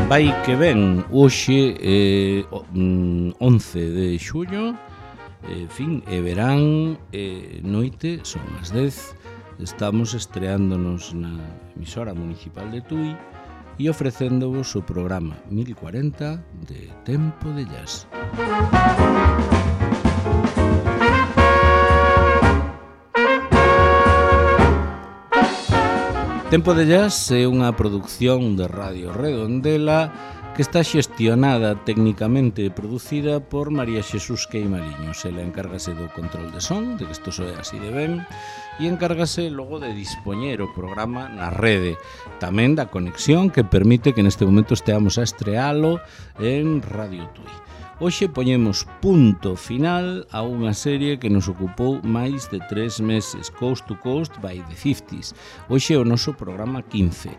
Vai que ven, hoxe 11 de xullo, fin, e verán, noite, son as 10, estamos estreándonos na emisora municipal de Tui e ofrecéndovos o programa 1040 de Tempo de Jazz. Tempo de Jazz é unha produción de Radio Redondela que está xestionada técnicamente e producida por María Xesús Queimaliños. Ela encárgase do control de son, de que isto soe así de ben, e encárgase logo de dispoñer o programa na rede, tamén da conexión que permite que neste momento esteamos a estrealo en Radio Tui. Hoxe poñemos punto final a unha serie que nos ocupou máis de 3 meses, Coast to Coast by the 50s. Hoxe é o noso programa 15.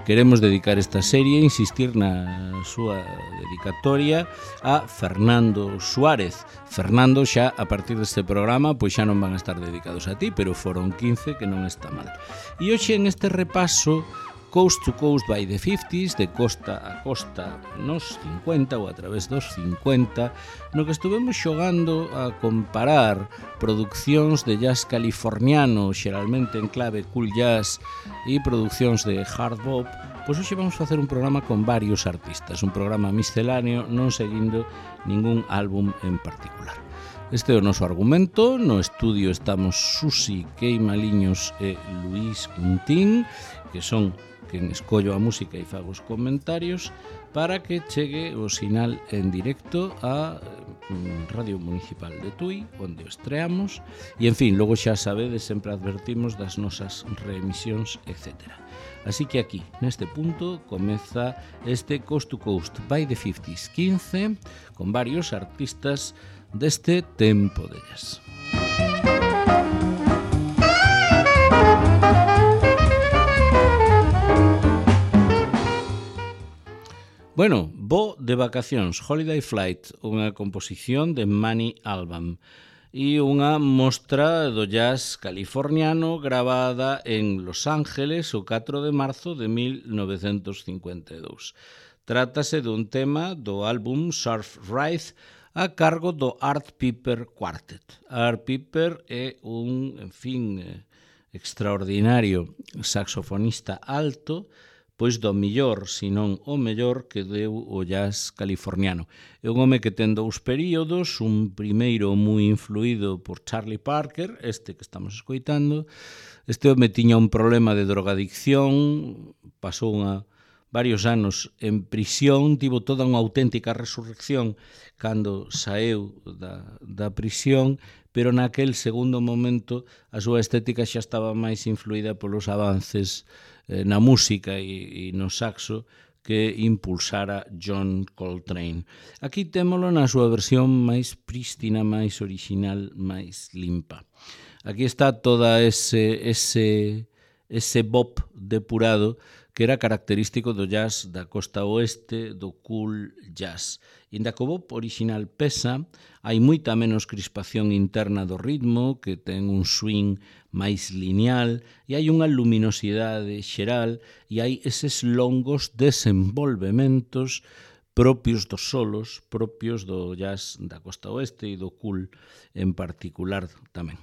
Queremos dedicar esta serie, insistir na súa dedicatoria a Fernando Suárez. Fernando, xa a partir deste programa, pois xa non van a estar dedicados a ti, pero foron 15 que non está mal. E hoxe en este repaso Coast to Coast by the 50s, de costa a costa nos 50 ou a través dos 50, no que estuvemos xogando a comparar produccións de jazz californiano, xeralmente en clave cool jazz, e produccións de hard bop. Pois hoxe vamos facer un programa con varios artistas, un programa misceláneo, non seguindo ningún álbum en particular. Este é o noso argumento. No estudio estamos Susi Queimaliños e Luís Quintín, que son quen escollo a música e fago os comentarios para que chegue o sinal en directo a Radio Municipal de Tui, onde o estreamos, e en fin, logo xa sabedes, sempre advertimos das nosas reemisións, etc. Así que aquí, neste punto, comeza este Coast to Coast by the 50s 15, con varios artistas deste tempo de jazz. Bueno, vou de vacacións, Holiday Flight, unha composición de Manny Alban e unha mostra do jazz californiano gravada en Los Ángeles o 4 de marzo de 1952. Trátase dun tema do álbum Surf Ride a cargo do Art Piper Quartet. Art Piper é un, en fin, extraordinario saxofonista alto, pois do millor, senón o mellor que deu o jazz californiano. É un home que ten dous períodos, un primeiro moi influído por Charlie Parker, este que estamos escoitando. Este home tiña un problema de drogadicción, pasou varios anos en prisión, tivo toda unha auténtica resurrección cando saeu da prisión, pero naquel segundo momento a súa estética xa estaba máis influída polos avances na música e no saxo que impulsara John Coltrane. Aquí témolo na súa versión máis prístina, máis original, máis limpa. Aquí está toda ese bop depurado que era característico do jazz da costa oeste, do cool jazz. Inda que o bop original pesa, hai moita menos crispación interna do ritmo, que ten un swing máis lineal, e hai unha luminosidade xeral, e hai eses longos desenvolvementos propios dos solos, propios do jazz da costa oeste e do cool en particular tamén.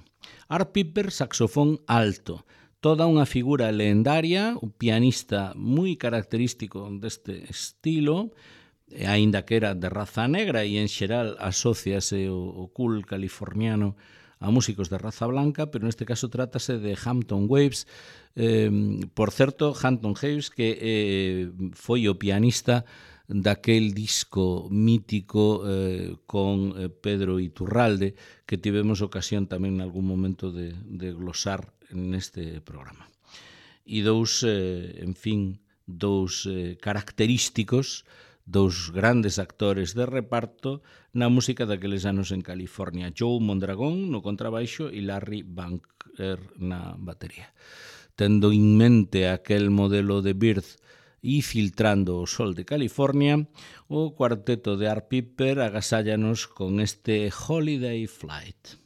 Art Piper, saxofón alto, toda unha figura lendaria, un pianista moi característico deste estilo, aínda que era de raza negra e en xeral asóciase o cool californiano a músicos de raza blanca, pero neste caso trátase de Hampton Waves. Por certo, Hampton Waves que foi o pianista daquel disco mítico con Pedro Iturralde que tivemos ocasión tamén en algún momento de glosar neste programa. E dous característicos, dous grandes actores de reparto na música daqueles anos en California, Joe Mondragón no contrabaixo e Larry Bunker na batería. Tendo en mente aquel modelo de Bird e filtrando o sol de California, o cuarteto de Art Piper agasállanos con este Holiday Flight.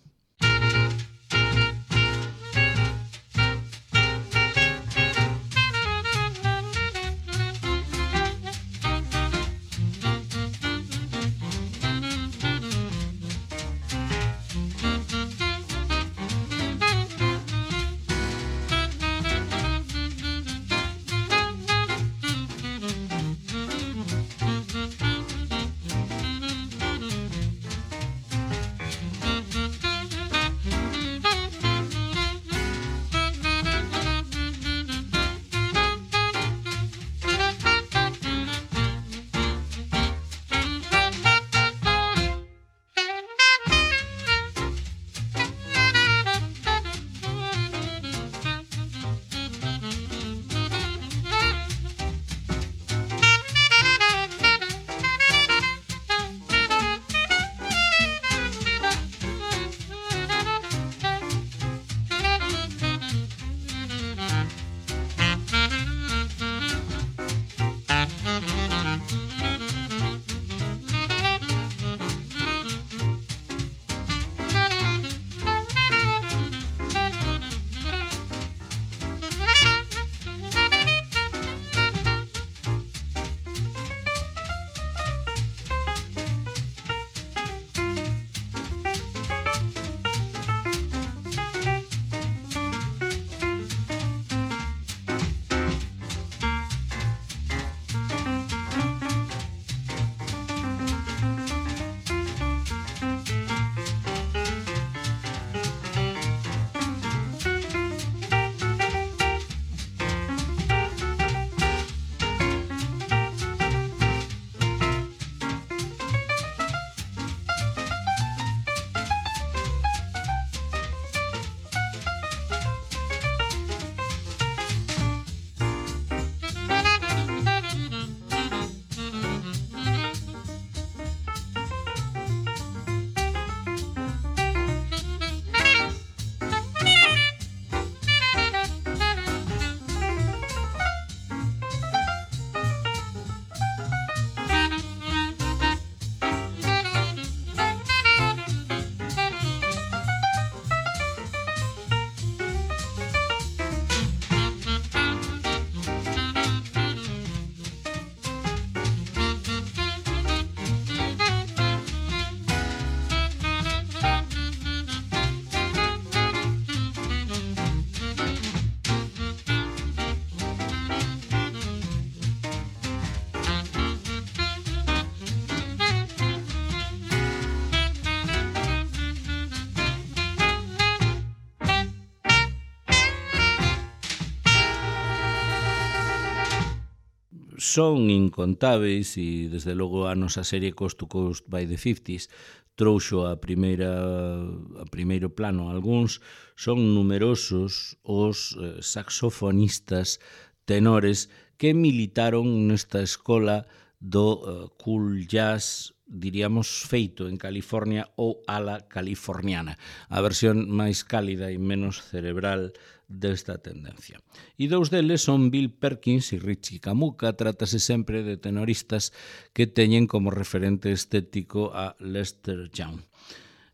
son incontáveis e desde logo a nosa serie Coast to Coast by the 50s trouxo a primeiro plano algúns. Son numerosos os saxofonistas tenores que militaron nesta escola do cool jazz, diríamos, feito en California ou ala californiana, a versión máis cálida e menos cerebral desta tendencia. E dous deles son Bill Perkins e Richie Camuca. Trátase sempre de tenoristas que teñen como referente estético a Lester Young.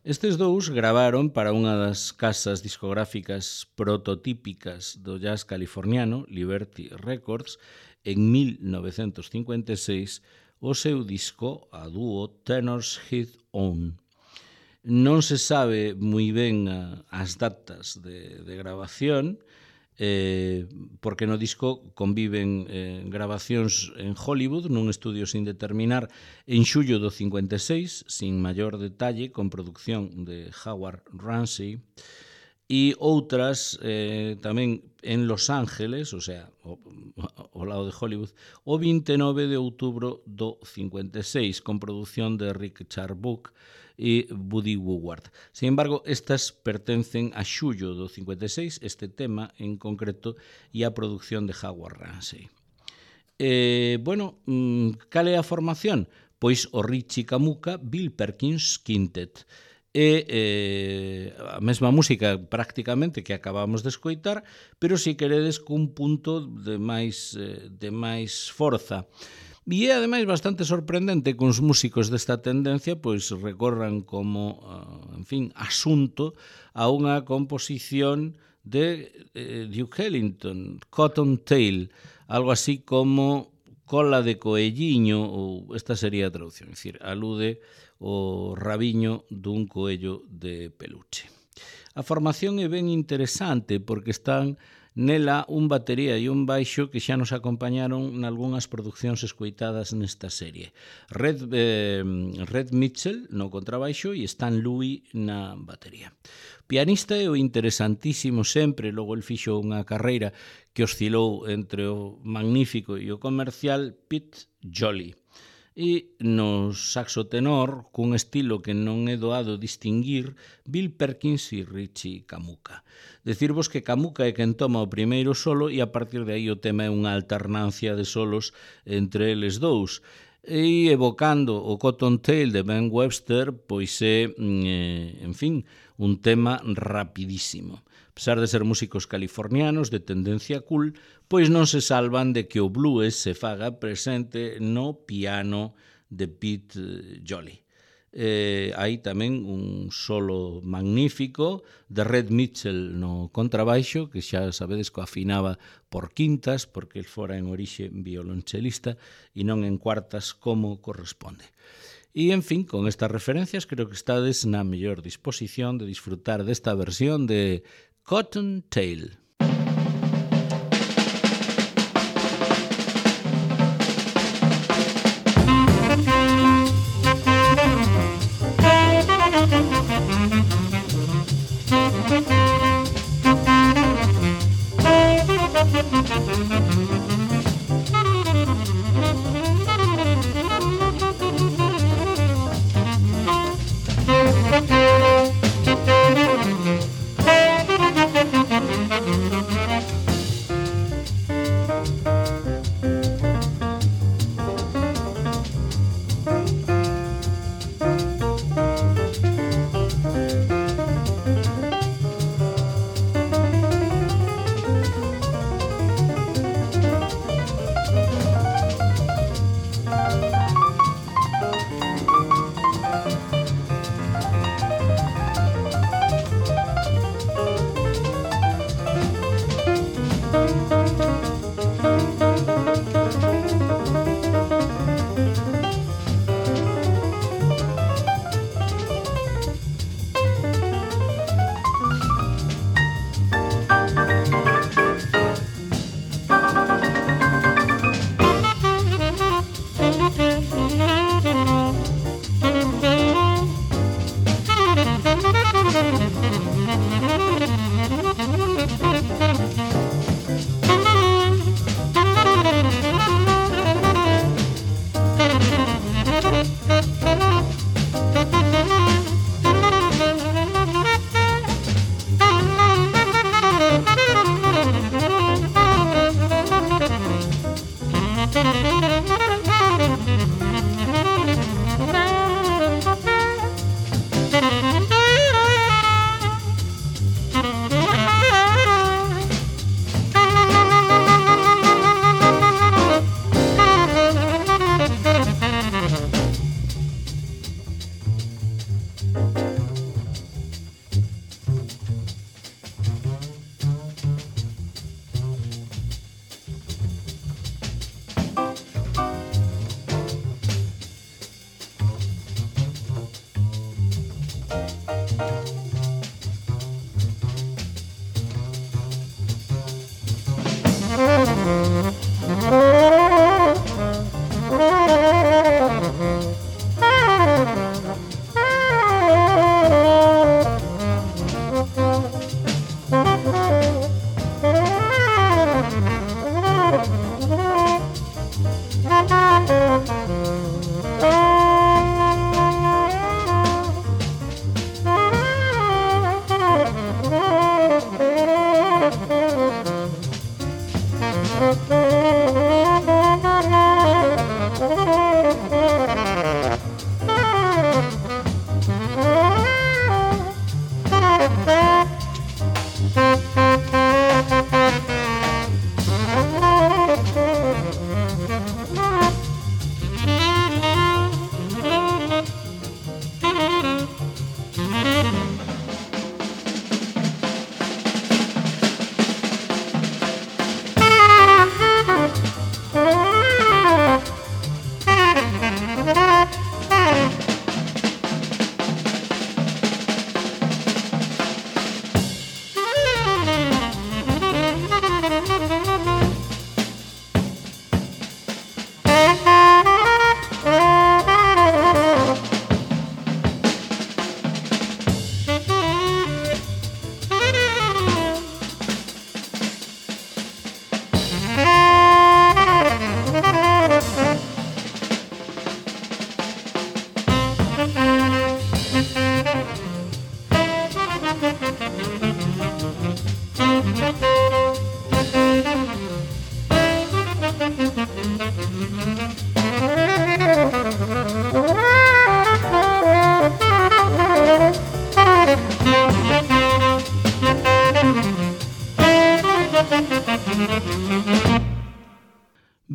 Estes dous gravaron para unha das casas discográficas prototípicas do jazz californiano, Liberty Records, en 1956, o seu disco a dúo Tenor's His Own. Non se sabe moi ben as datas de grabación, porque no disco conviven grabacións en Hollywood, nun estudio sin determinar, en xullo do 56, sin maior detalle, con producción de Howard Ramsey, e outras tamén en Los Ángeles, o sea, ao lado de Hollywood, o 29 de outubro do 56, con produción de Rick Charbuk e Buddy Woodward. Sin embargo, estas pertencen a xullo do 56, este tema en concreto, e a produción de Howard Ramsey. Cal é a formación? Pois o Richie Camuca Bill Perkins Quintet. E a mesma música prácticamente que acabamos de escoitar, pero se queredes cun punto de máis forza. E é ademais bastante sorprendente que os músicos desta tendencia pois recorran como, asunto a unha composición de Duke Ellington, Cottontail, algo así como cola de coelliño, ou esta sería a traducción, é dicir, alude o rabiño dun coello de peluche. A formación é ben interesante porque están nela un batería e un baixo que xa nos acompañaron nalgúnas producións escoitadas nesta serie. Red Mitchell no contrabaixo e Stan Louis na batería. Pianista é o interesantísimo sempre, logo el fixo unha carreira que oscilou entre o magnífico e o comercial Pete Jolly. E no saxo tenor, cun estilo que non é doado distinguir, Bill Perkins e Richie Camuca. Decirvos que Camuca é quen toma o primeiro solo e a partir de aí o tema é unha alternancia de solos entre eles dous. E evocando o Cottontail de Ben Webster, pois é, un tema rapidísimo. A pesar de ser músicos californianos de tendencia cool, pois non se salvan de que o blues se faga presente no piano de Pete Jolly. Hai tamén un solo magnífico de Red Mitchell no contrabaixo, que xa sabedes que afinaba por quintas, porque el fora en orixe violonchelista e non en cuartas como corresponde. E, con estas referencias, creo que estades na mellor disposición de disfrutar desta versión de Cottontail.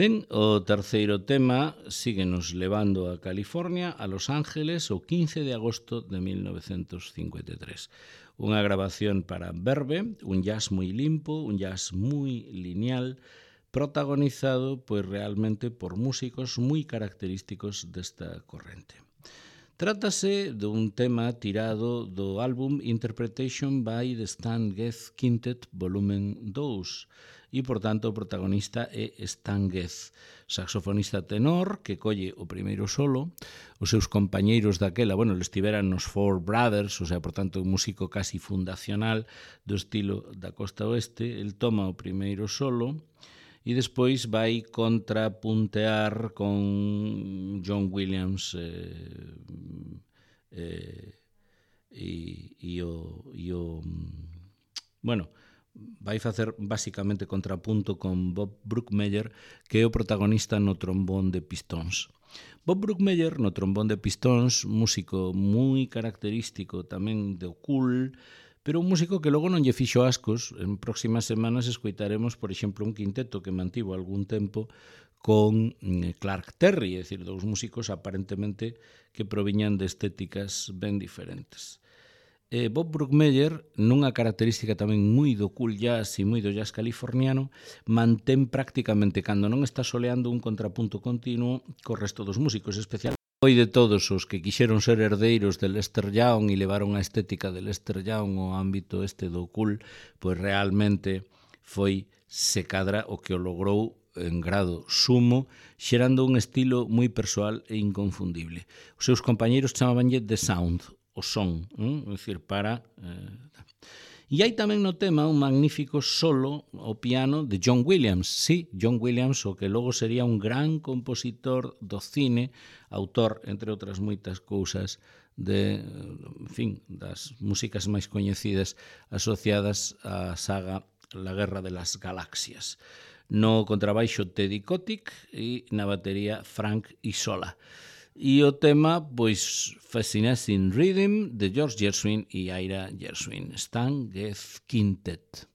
Ben, o terceiro tema síguenos levando a California, a Los Ángeles, o 15 de agosto de 1953. Unha grabación para Verve, un jazz moi limpo, un jazz moi lineal, protagonizado pois realmente por músicos moi característicos desta corrente. Trátase dun tema tirado do álbum Interpretation by the Stan Getz Quintet Volumen 2, e, por tanto, o protagonista é Stan Getz, saxofonista tenor que colle o primeiro solo. Os seus compañeiros daquela, estiveran nos Four Brothers, o sea, por tanto, un músico casi fundacional do estilo da costa oeste. El toma o primeiro solo e despois vai contrapuntear con John Williams vai facer basicamente contrapunto con Bob Brookmeyer, que é o protagonista no trombón de pistóns. Bob Brookmeyer no trombón de pistóns, músico moi característico tamén do cool, pero un músico que logo non lle fixo ascos. En próximas semanas escoitaremos, por exemplo, un quinteto que mantivo algún tempo con Clark Terry, é dicir, dous músicos aparentemente que proviñan de estéticas ben diferentes. Bob Brookmeyer, nunha característica tamén moi do cool jazz e moi do jazz californiano, mantén prácticamente, cando non está soleando, un contrapunto continuo co resto dos músicos, especial. Foi de todos os que quixeron ser herdeiros de Lester Young e levaron a estética de Lester Young ao ámbito este do cool, pois realmente foi se cadra o que o logrou en grado sumo, xerando un estilo moi persoal e inconfundible. Os seus compañeiros chamabanlle The Sound, o son, é dicir, para... E hai tamén no tema un magnífico solo ao piano de John Williams. Sí, John Williams, o que logo sería un gran compositor do cine, autor, entre outras moitas cousas, de, das músicas máis coñecidas asociadas á saga La Guerra de las Galaxias. No contrabaixo Teddy Kotick e na batería Frank Isola. E o tema, pois, Fascinating Rhythm, de George Gershwin e Ira Gershwin. Stan Getz Quintet.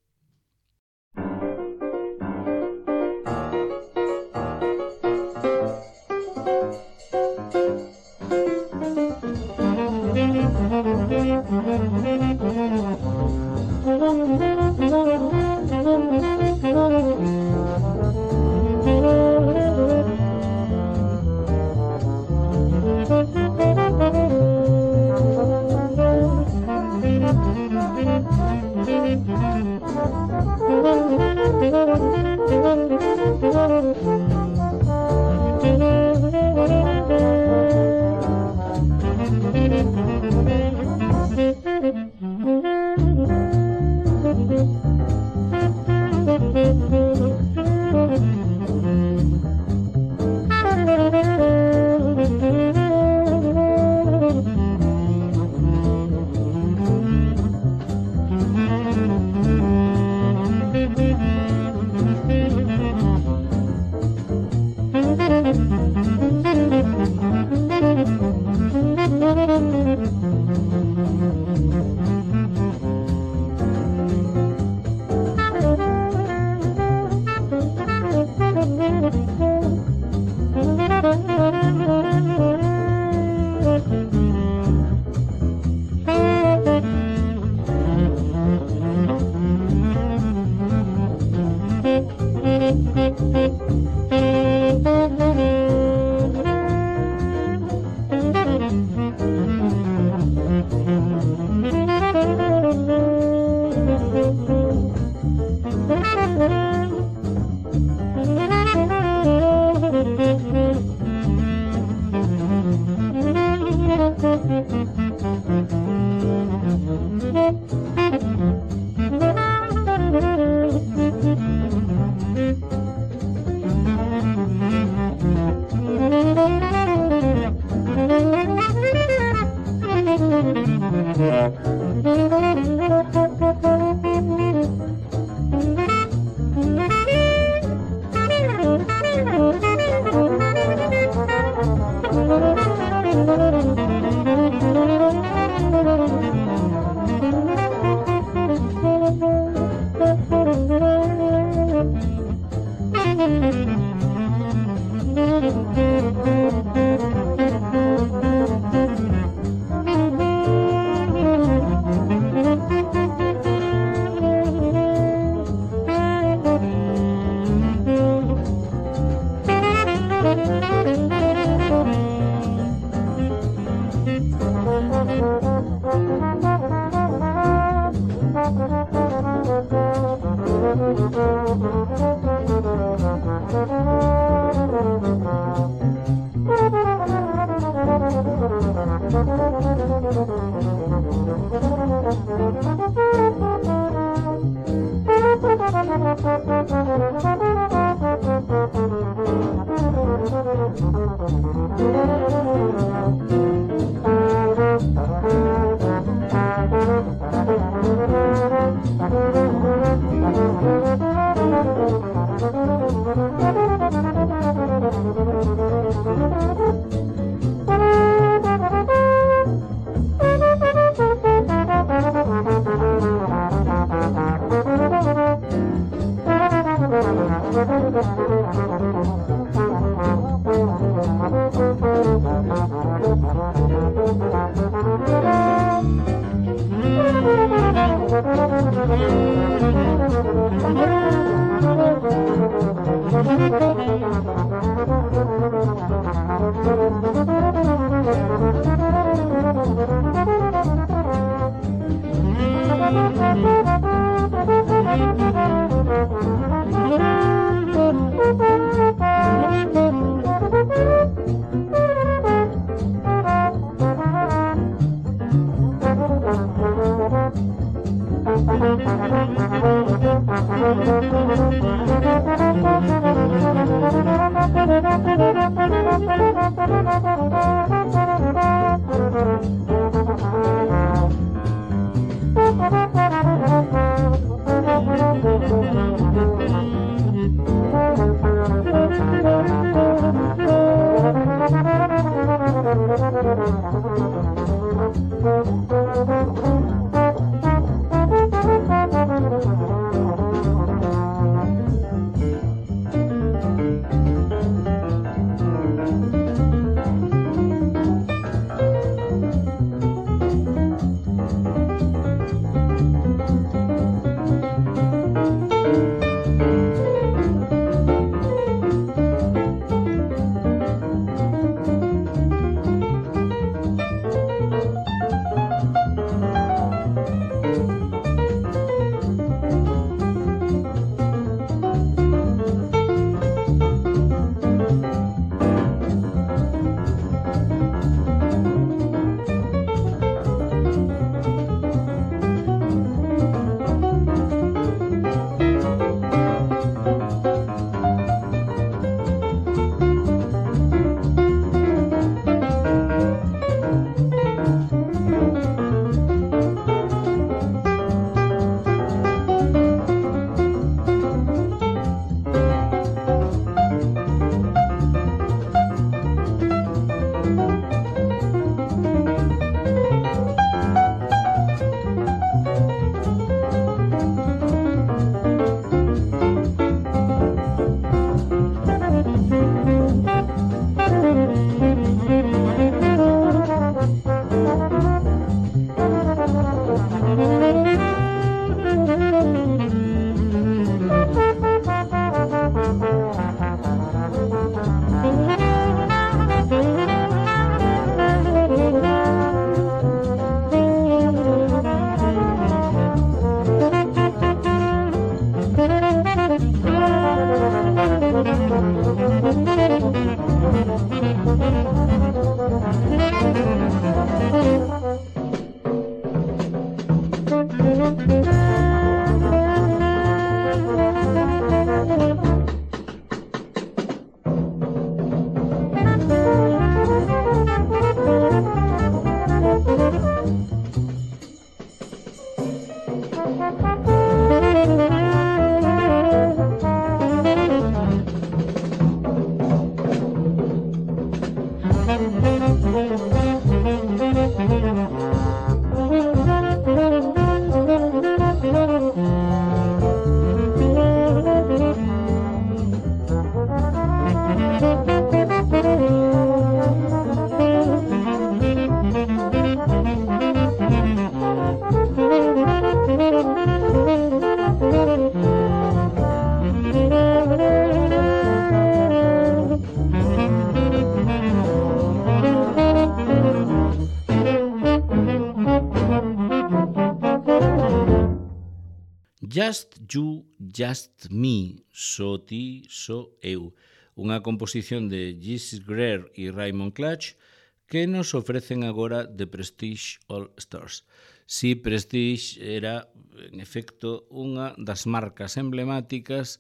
Just You, Just Me, só ti, só eu. Unha composición de Jessie Greer e Raymond Clutch que nos ofrecen agora The Prestige All Stars. Si Prestige era, en efecto, unha das marcas emblemáticas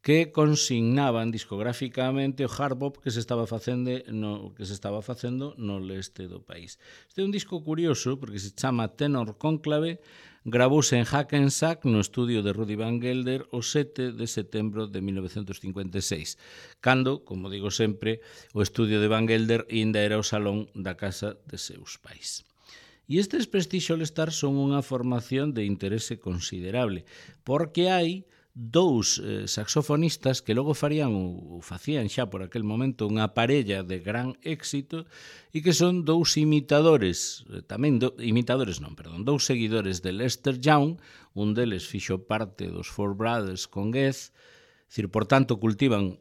que consignaban discográficamente o hard bop que se estaba facendo no leste do país. Este é un disco curioso porque se chama Tenor Conclave, gravouse en Hackensack no estudio de Rudy Van Gelder o 7 de setembro de 1956, cando, como digo sempre, o estudio de Van Gelder ainda era o salón da casa de seus pais. E estes Prestige All Stars son unha formación de interese considerable, porque hai dous saxofonistas que logo facían xa por aquel momento unha parella de gran éxito e que son dous dous seguidores de Lester Young, un deles fixo parte dos Four Brothers con Goethe, por tanto cultivan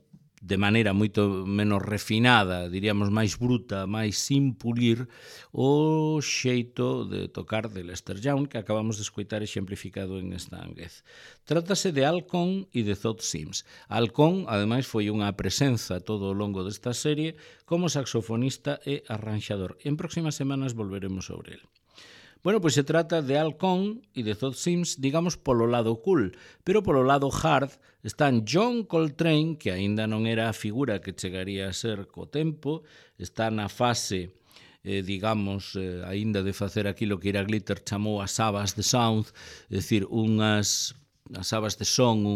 de maneira moito menos refinada, diríamos máis bruta, máis sin pulir, o xeito de tocar de Lester Young que acabamos de escoitar exemplificado en Stan Getz. Trátase de Al Cohn e de Todd Sims. Al Cohn, ademais, foi unha presenza todo o longo desta serie como saxofonista e arranxador. En próximas semanas volveremos sobre el. Bueno, pois se trata de Al Cohn e de Todd Sims, digamos, polo lado cool, pero polo lado hard están John Coltrane, que aínda non era a figura que chegaría a ser co tempo, está na fase, aínda de facer aquilo que Ira Glitter chamou as sabas de sound, é dicir, as sabas de son,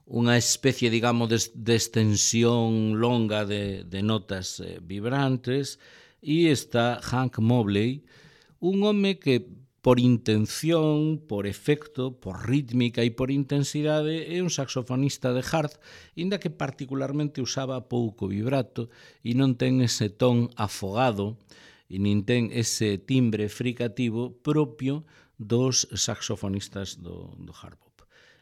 unha especie, digamos, de extensión longa de notas vibrantes. E está Hank Mobley, un home que por intención, por efecto, por rítmica e por intensidade é un saxofonista de hard, inda que particularmente usaba pouco vibrato e non ten ese ton afogado e nin ten ese timbre fricativo propio dos saxofonistas do hard bop.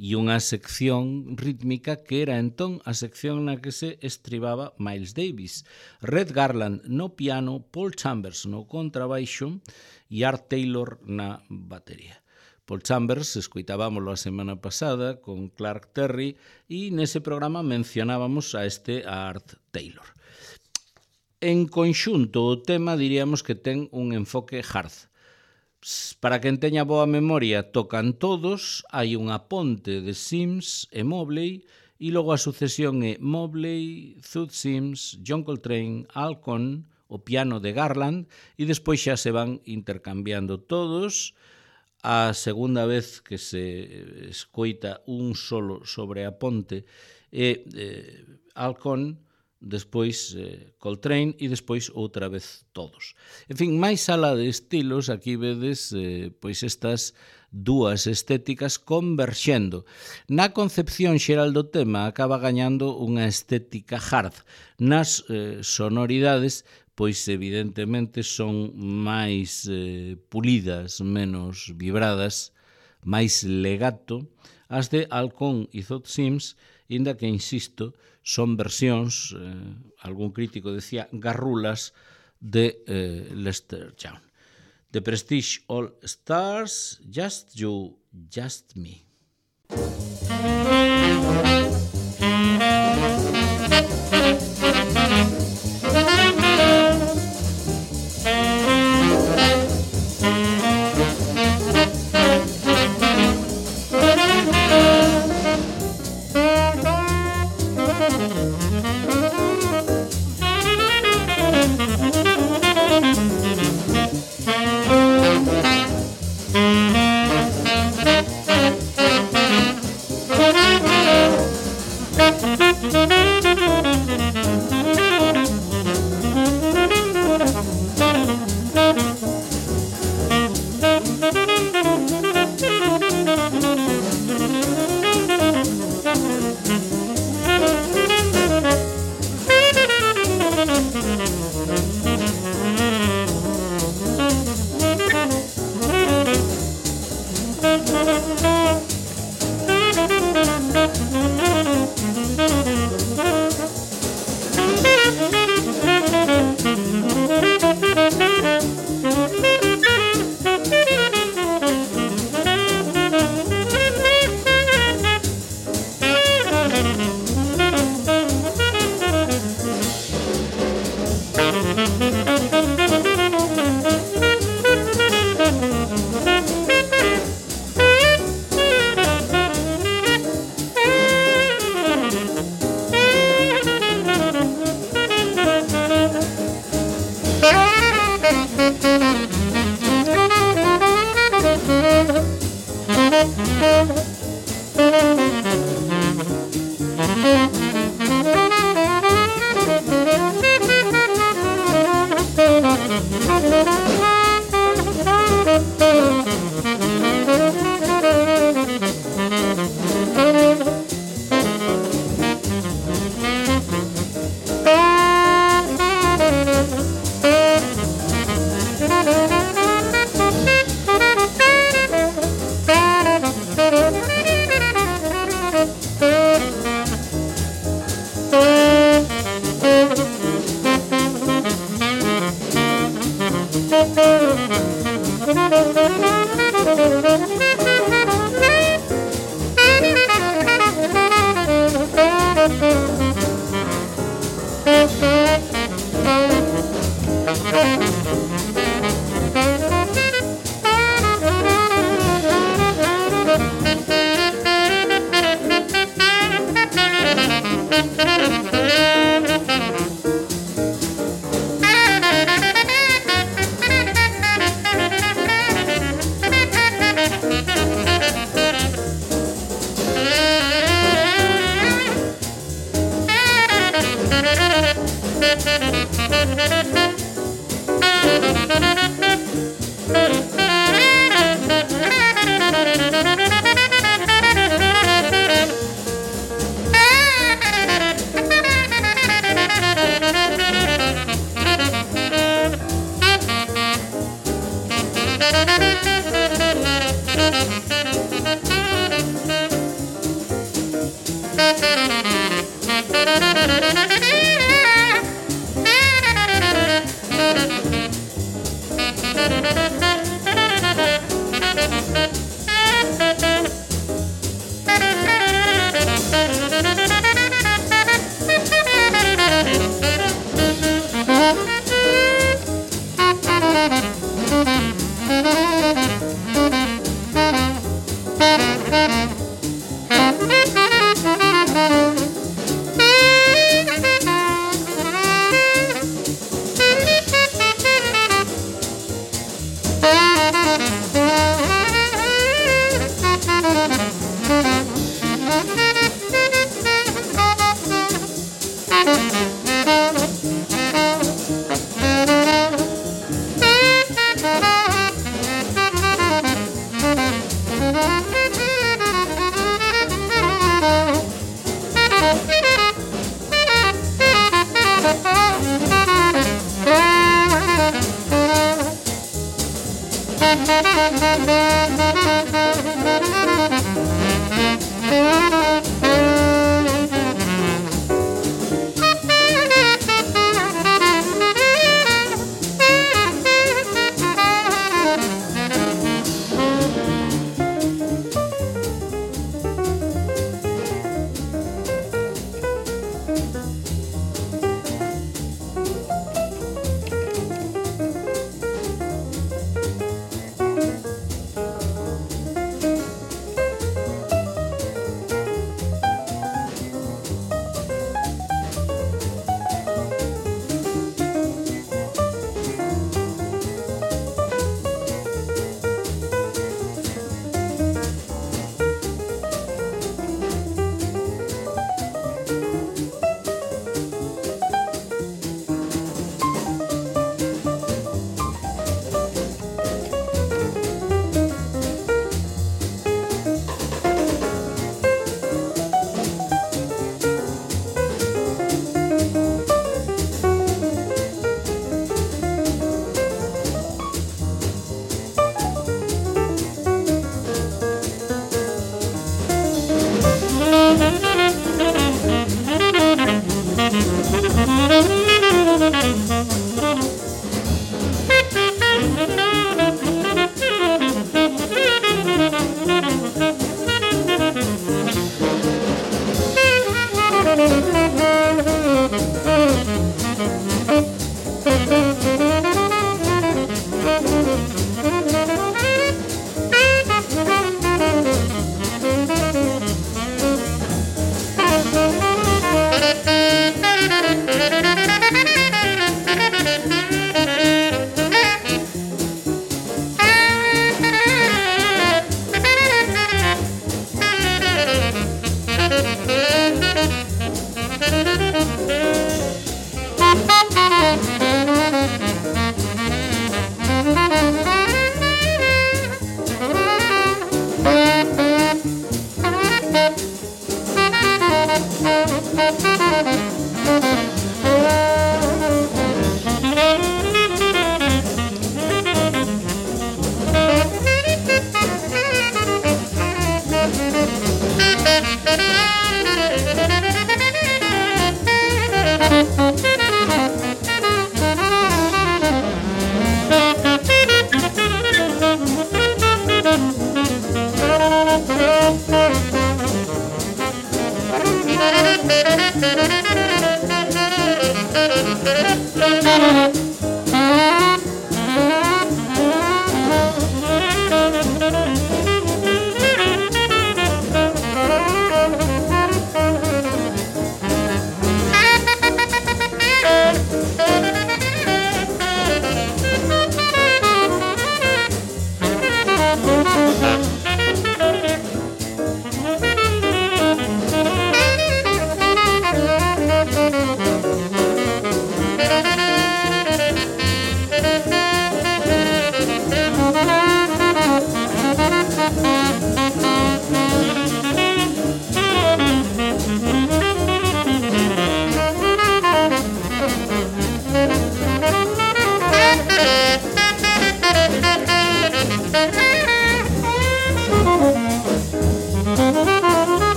E unha sección rítmica que era entón a sección na que se estribaba Miles Davis. Red Garland no piano, Paul Chambers no contrabaixo e Art Taylor na batería. Paul Chambers escoitábamoslo a semana pasada con Clark Terry e nese programa mencionábamos a Art Taylor. En conxunto, o tema diríamos que ten un enfoque hard. Para quen teña boa memoria, tocan todos, hai unha ponte de Sims e Mobley e logo a sucesión é Mobley, Todd Sims, John Coltrane, Al Cohn, o piano de Garland e despois xa se van intercambiando todos. A segunda vez que se escoita un solo sobre a ponte é Al Cohn, despois Coltrane e despois outra vez todos. En fin, máis alá de estilos, aquí vedes pois estas dúas estéticas converxendo. Na concepción xeral do tema acaba gañando unha estética hard. Nas sonoridades, pois evidentemente son máis pulidas, menos vibradas, máis legato. As de Al Cohn e Todd Sims, inda que, insisto, son versións, algún crítico decía, garrulas de Lester Young. The Prestige All Stars, Just You, Just Me.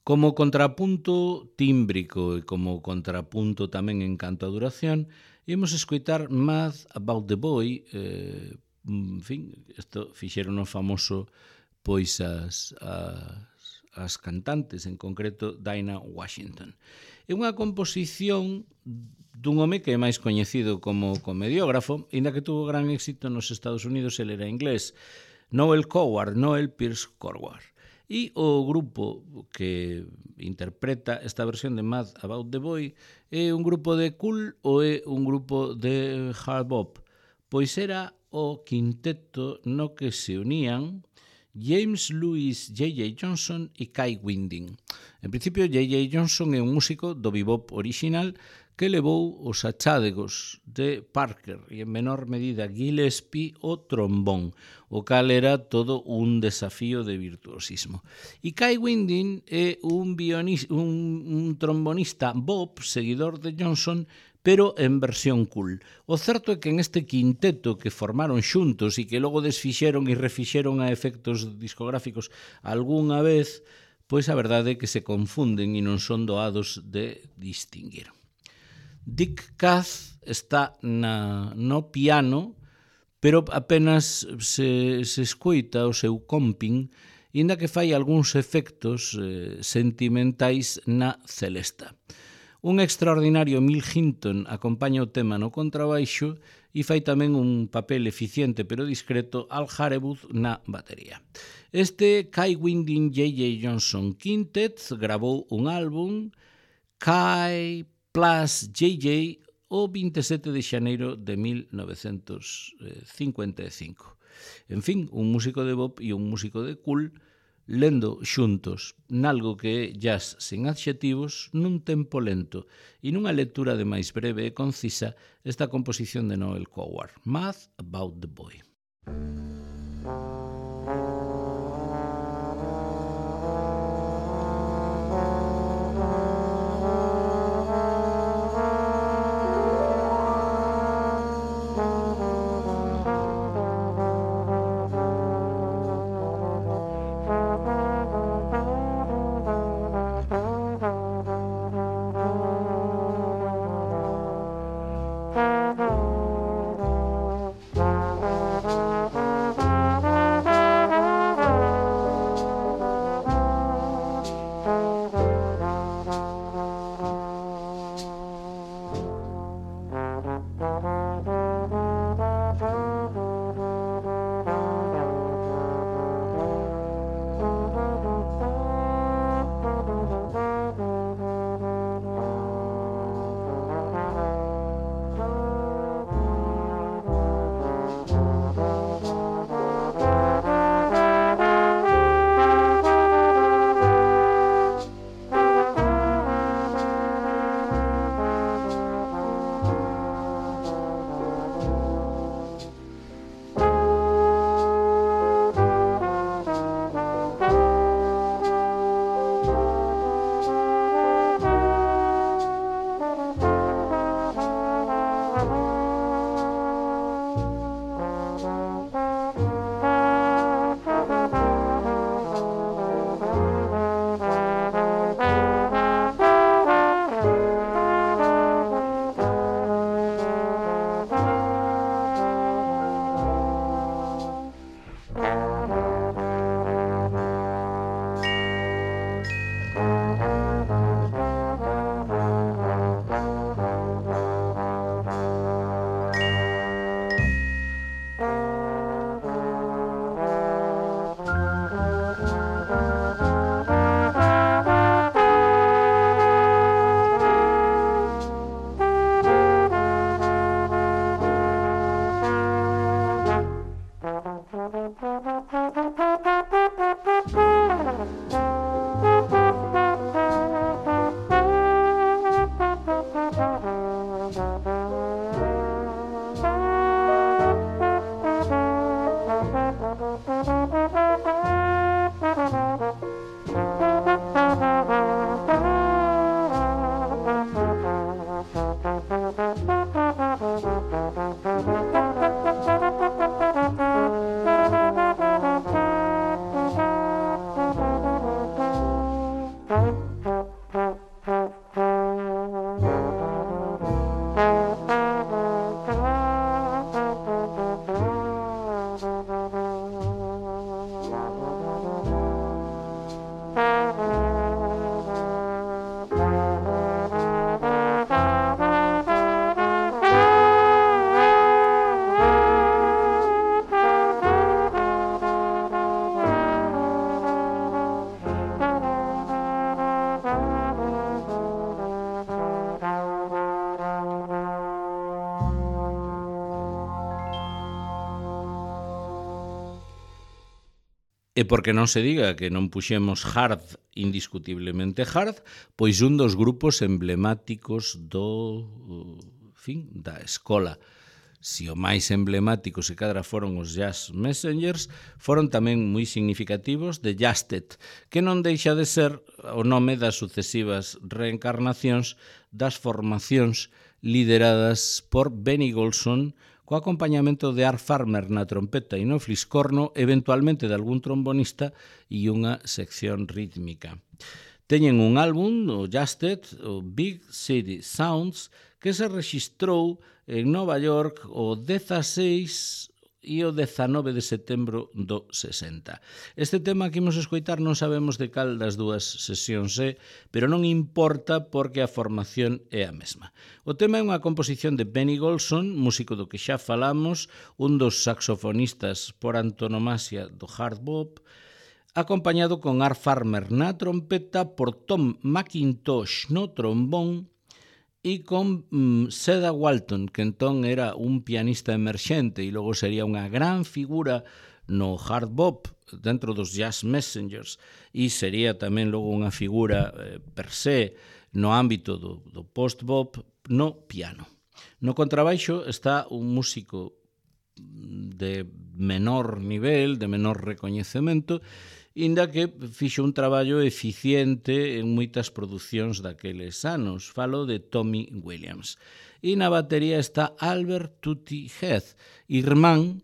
Como contrapunto tímbrico e como contrapunto tamén en canto a duración, imos escoitar Mad About the Boy, en fin, isto fixeron famoso pois as cantantes, en concreto Dinah Washington. É unha composición dun home que é máis coñecido como comediógrafo, inda que tuvo gran éxito nos Estados Unidos, ele era inglés, Noel Pearce Coward. E o grupo que interpreta esta versión de Mad About the Boy é un grupo de cool ou é un grupo de hard bop? Pois era o quinteto no que se unían James Louis J.J. Johnson e Kai Winding. En principio, J.J. Johnson é un músico do bebop original que levou os achádegos de Parker e en menor medida Gillespie o trombón, o cal era todo un desafío de virtuosismo. E Kai Winding é un trombonista bop, seguidor de Johnson, pero en versión cool. O certo é que en este quinteto que formaron xuntos e que logo desfixeron e refixeron a efectos discográficos algunha vez, pois a verdade é que se confunden e non son doados de distinguir. Dick Kath está no piano, pero apenas se escoita o seu comping, inda que fai algúns efectos sentimentais na celesta. Un extraordinario Mill Hinton acompaña o tema no contrabaixo e fai tamén un papel eficiente pero discreto Al Harewood na batería. Este Kai Winding J.J. Johnson Quintet gravou un álbum, Kai Plus JJ, o 27 de xaneiro de 1955. En fin, un músico de bop e un músico de cool lendo xuntos nalgo que é jazz sen adxetivos nun tempo lento e nunha lectura de máis breve e concisa esta composición de Noel Coward, Mad About the Boy. E porque non se diga que non puxemos Hard, indiscutiblemente Hard, pois un dos grupos emblemáticos da escola. Si o máis emblemático se cadra foron os Jazz Messengers, foron tamén moi significativos de Jazzed, que non deixa de ser o nome das sucesivas reencarnacións das formacións lideradas por Benny Golson, co acompañamento de Art Farmer na trompeta e no fliscorno, eventualmente de algún trombonista e unha sección rítmica. Teñen un álbum, o Jazzed, o Big City Sounds, que se rexistrou en Nova York o 16 e o 19 de setembro do 60. Este tema que imos escoitar non sabemos de cal das dúas sesións é, pero non importa porque a formación é a mesma. O tema é unha composición de Benny Golson, músico do que xa falamos, un dos saxofonistas por antonomasia do hard bop, acompañado con Art Farmer na trompeta, por Tom McIntosh no trombón e con Cedar Walton, que entón era un pianista emerxente e logo sería unha gran figura no hard bop dentro dos Jazz Messengers e sería tamén logo unha figura per se no ámbito do post-bop no piano. No contrabaixo está un músico de menor nivel, de menor recoñecemento, inda que fixo un traballo eficiente en moitas producións daqueles anos. Falo de Tommy Williams. E na batería está Albert Tutti Heath, irmán,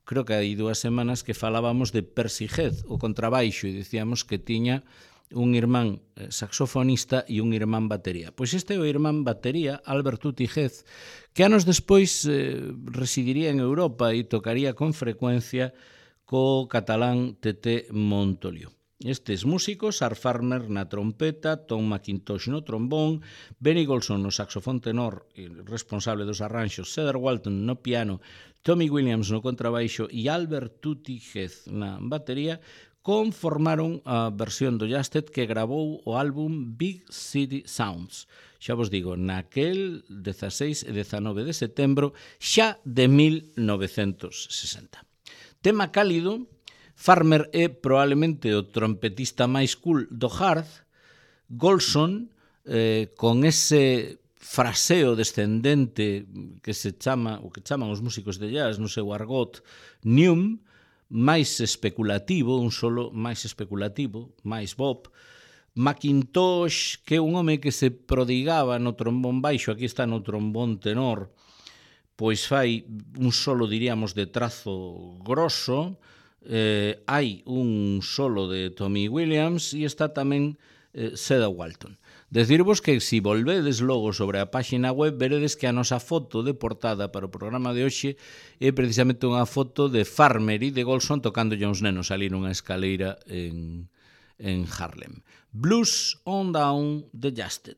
creo que hai 2 semanas que falábamos de Percy Heath, o contrabaixo, e dicíamos que tiña un irmán saxofonista e un irmán batería. Pois este é o irmán batería, Albert Tutti Heath, que anos despois residiría en Europa e tocaría con frecuencia co catalán Tete Montoliu. Estes músicos, Art Farmer na trompeta, Tom McIntosh no trombón, Benny Golson no saxofón tenor e responsable dos arranxos, Cedar Walton no piano, Tommy Williams no contrabaixo e Albert Tutti Heath na batería, conformaron a versión do Jazzed que gravou o álbum Big City Sounds. Xa vos digo, naquel 16 e 19 de setembro xa de 1960. Tema cálido, Farmer é probablemente o trompetista máis cool do hard, Golson, con ese fraseo descendente que se chama, o que chaman os músicos de jazz no seu argot, neum, máis especulativo, un solo máis especulativo, máis bop, McIntosh, que é un home que se prodigaba no trombón baixo, aquí está no trombón tenor, pois fai un solo, diríamos, de trazo grosso, hai un solo de Tommy Williams e está tamén Cedar Walton. Decirvos que se volvedes logo sobre a páxina web veredes que a nosa foto de portada para o programa de hoxe é precisamente unha foto de Farmer e de Golson tocándolle uns nenos ali nunha escaleira en Harlem. Blues on Down the Jazzed.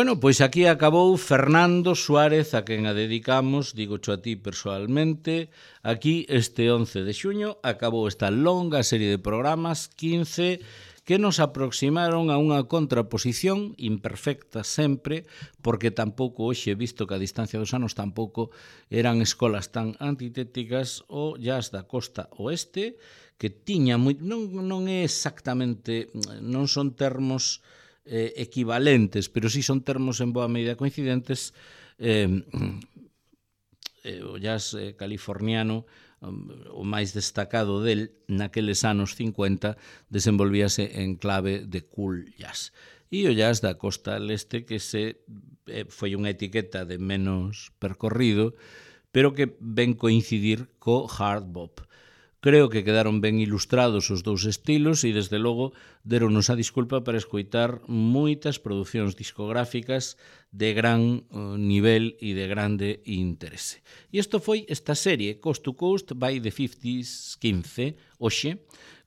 Bueno, pois aquí acabou Fernando Suárez, a quen a dedicamos, digocho a ti persoalmente. Aquí, este 11 de xuño, acabou esta longa serie de programas, 15, que nos aproximaron a unha contraposición imperfecta sempre, porque tampouco hoxe, visto que a distancia dos anos tampouco eran escolas tan antitéticas, o jazz da costa oeste, que tiña non é exactamente, non son termos equivalentes, pero sí son termos en boa medida coincidentes. O jazz californiano, o máis destacado del naqueles anos 50, desenvolvíase en clave de cool jazz. E o jazz da costa leste, que foi unha etiqueta de menos percorrido, pero que ven coincidir co hard bop. Creo que quedaron ben ilustrados os dous estilos e, desde logo, deronnos a disculpa para escoitar moitas producións discográficas de gran nivel e de grande interese. E isto foi esta serie Coast to Coast by the 50s 15, hoxe,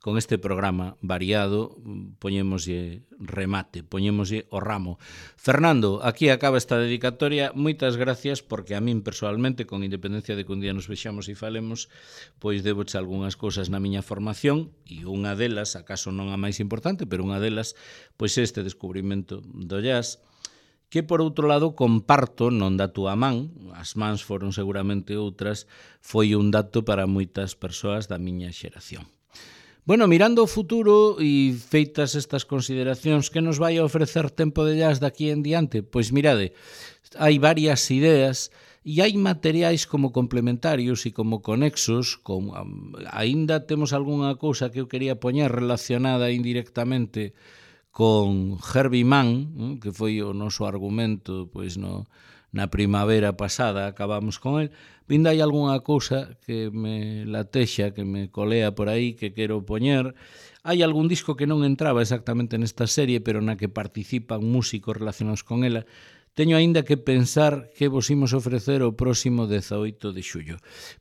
con este programa variado, poñémoslle remate, poñémoslle o ramo. Fernando, aquí acaba esta dedicatoria. Moitas gracias, porque a min personalmente, con independencia de que un día nos vexamos e falemos, pois deboche algunhas cousas na miña formación, e unha delas, acaso non a máis importante, pero unha delas, pois este descubrimento do jazz, que por outro lado comparto, non da túa man, as mans foron seguramente outras, foi un dato para moitas persoas da miña xeración. Bueno, mirando ao futuro e feitas estas consideracións, que nos vai a ofrecer Tempo de Jazz daqui en diante? Pois mirade, hai varias ideas e hai materiais como complementarios e como conexos, aínda temos algunha cousa que eu quería poñer relacionada indirectamente con Herbie Mann, que foi o noso argumento pois na primavera pasada, acabamos con el. Vinda hai algunha cousa que me latexa, que me colea por aí, que quero poñer. Hai algún disco que non entraba exactamente nesta serie, pero na que participan músicos relacionados con ela. Teño aínda que pensar que vos imos ofrecer o próximo 18 de xullo.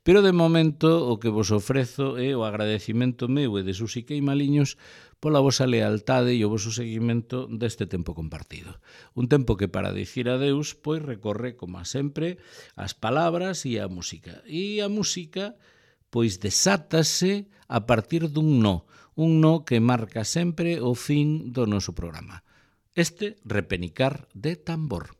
Pero de momento o que vos ofrezo é o agradecimento meu e de Susi Queimaliños pola vosa lealtade e o voso seguimento deste tempo compartido. Un tempo que, para dicir adeus, pois recorre, como sempre, as palabras e a música. E a música, pois, desátase a partir dun no que marca sempre o fin do noso programa. Este repenicar de tambor.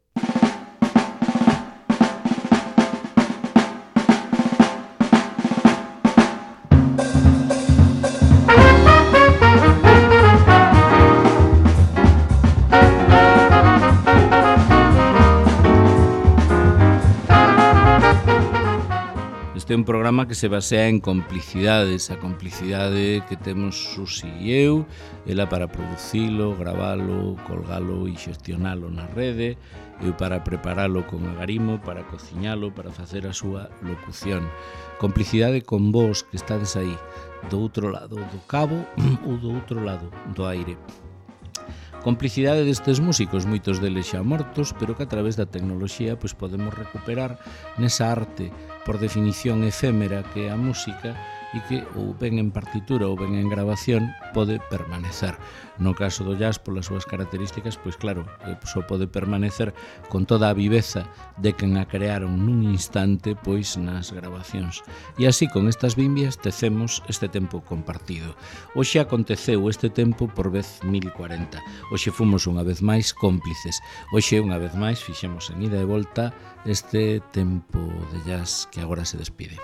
Este é un programa que se basea en complicidades, a complicidade que temos Susi e eu, ela para producilo, gravalo, colgalo e xestionalo na rede, eu para preparalo con agarimo, para cociñalo, para facer a súa locución. Complicidade con vos que estades aí, do outro lado do cabo ou do outro lado do aire. Complicidade destes músicos, moitos deles xa mortos, pero que a través da tecnoloxía pois podemos recuperar nesa arte, por definición efémera, que é a música, e que ou ben en partitura ou ben en grabación pode permanecer. No caso do jazz, polas súas características, pois claro, só pode permanecer con toda a viveza de quen a crearon nun instante, pois nas grabacións. E así, con estas bimbias, tecemos este tempo compartido. Hoxe aconteceu este tempo por vez 1040. Hoxe fomos unha vez máis cómplices. Hoxe, unha vez máis, fixemos en ida e volta este tempo de jazz que agora se despide.